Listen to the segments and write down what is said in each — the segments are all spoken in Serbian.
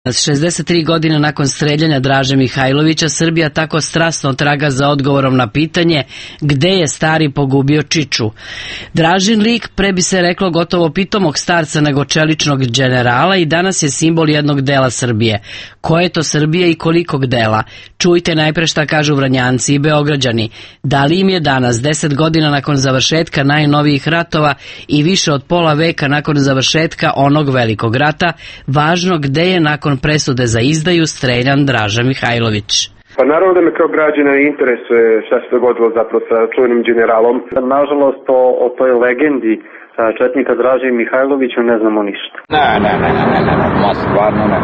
63 godine nakon streljanja Draže Mihajlovića, Srbija tako strasno traga za odgovorom na pitanje gde je stari pogubio Čiču. Dražin lik, pre bi se reklo gotovo pitomog starca nego čeličnog đenerala, i danas je simbol jednog dela Srbije. Ko je to Srbija i kolikog dela? Čujte najpre šta kažu Vranjanci i Beograđani. Da li im je danas, 10 godina nakon završetka najnovijih ratova i više od pola veka nakon završetka onog velikog rata, važno gde je nakon presude za izdaju streljan Draža Mihajlović? Pa naravno da me kao građana interesuje šta se dogodilo zapravo sa čuvenim generalom. Nažalost o toj legendi četnika Draže Mihajlovića ne znamo ništa. Ne, stvarno ne.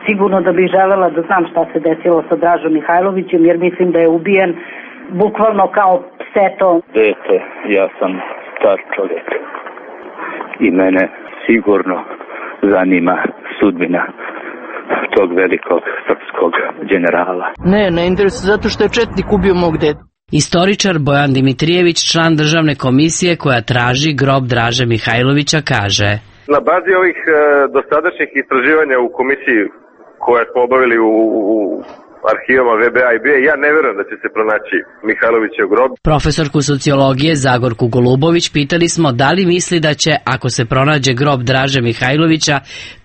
Sigurno da bih želela da znam šta se desilo sa Dražom Mihajlovićem, jer mislim da je ubijen bukvalno kao pseto. Dete, ja sam star čovjek i mene sigurno zanima sudbina tog velikog srpskog generala. Ne interesuje, zato što je četnik ubio mog dedu. Istoričar Bojan Dimitrijević, član državne komisije koja traži grob Draže Mihajlovića, kaže: Na bazi ovih dosadašnjih istraživanja u komisiji koje smo obavili u arhivama VBA i BIA, ja ne verujem da će se pronaći Mihajlovićev grob. Profesorku sociologije Zagorku Golubović pitali smo da li misli da će, ako se pronađe grob Draže Mihajlovića,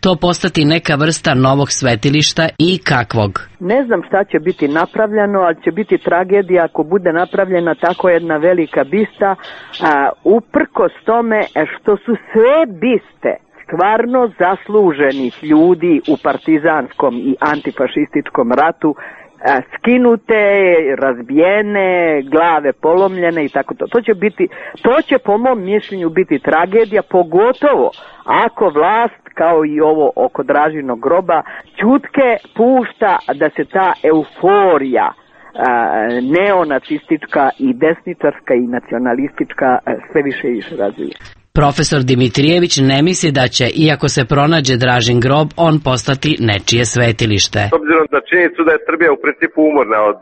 to postati neka vrsta novog svetilišta i kakvog. Ne znam šta će biti napravljeno, ali će biti tragedija ako bude napravljena tako jedna velika bista, uprkos tome što su sve biste stvarno zasluženih ljudi u partizanskom i antifašističkom ratu skinute, razbijene, glave polomljene i tako to. To će po mom mišljenju biti tragedija, pogotovo ako vlast, kao i ovo oko Dražinog groba, ćutke pušta da se ta euforija neonacistička i desničarska i nacionalistička sve više i više razvija. Profesor Dimitrijević ne misli da će, iako se pronađe Dražin grob, on postati nečije svetilište. S obzirom na činjenicu da je Srbija u principu umorna od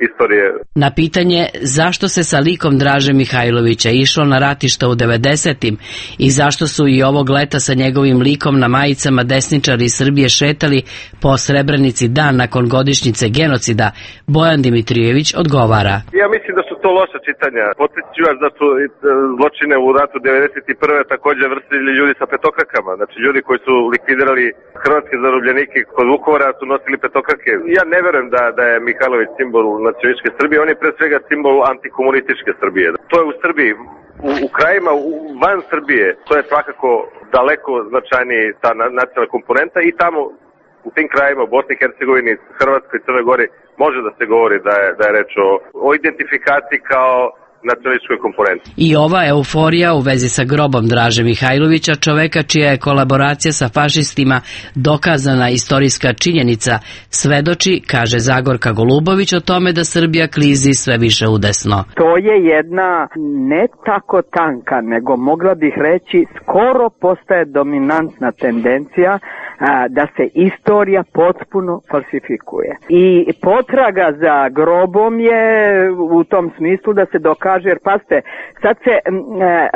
istorije. Na pitanje zašto se sa likom Draže Mihajlovića išlo na ratišta u 90-im i zašto su i ovog leta sa njegovim likom na majicama desničari iz Srbije šetali po Srebrenici dan nakon godišnjice genocida, Bojan Dimitrijević odgovara: Ja mislim da su to loša čitanja. Podsjeću vas da su zločine u ratu 91. također vrstili ljudi sa petokrakama. Znači ljudi koji su likvidirali hrvatske zarobljenike kod Vukovara su nosili petokrake. Ja ne verujem da je Mihajlović simbol nacionalističke Srbije, on je pre svega simbol antikomunističke Srbije. To je u Srbiji, u krajima van Srbije, to je svakako daleko značajniji ta nacionalna komponenta i tamo u tim krajima, u Bosni i Hercegovini, Hrvatskoj i Crnoj Gori, može da se govori da je reč o identifikaciji kao nacionalističkoj komponenti. I ova euforija u vezi sa grobom Draže Mihajlovića, čoveka čija je kolaboracija sa fašistima dokazana istorijska činjenica, svedoči, kaže Zagorka Golubović, o tome da Srbija klizi sve više udesno. To je jedna ne tako tanka, nego mogla bih reći skoro postaje dominantna tendencija da se istorija potpuno falsifikuje. I potraga za grobom je u tom smislu da se dokaže, jer pazite, sad se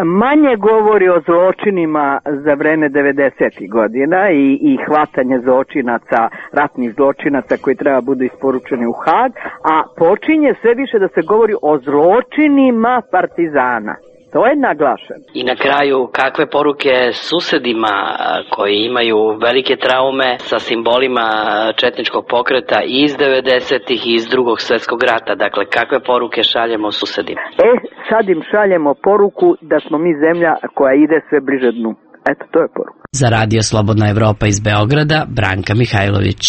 manje govori o zločinima za vreme 90. godina i hvatanje zločinaca, ratnih zločinaca koji treba budu isporučeni u Hag, a počinje sve više da se govori o zločinima partizana. To je naglašeno. I na kraju, kakve poruke susedima koji imaju velike traume sa simbolima četničkog pokreta iz 90-ih i iz Drugog svjetskog rata? Dakle, kakve poruke šaljemo susedima? Sad im šaljemo poruku da smo mi zemlja koja ide sve bliže dnu. Eto, to je poruka. Za Radio Slobodna Evropa iz Beograda, Branka Mihajlović.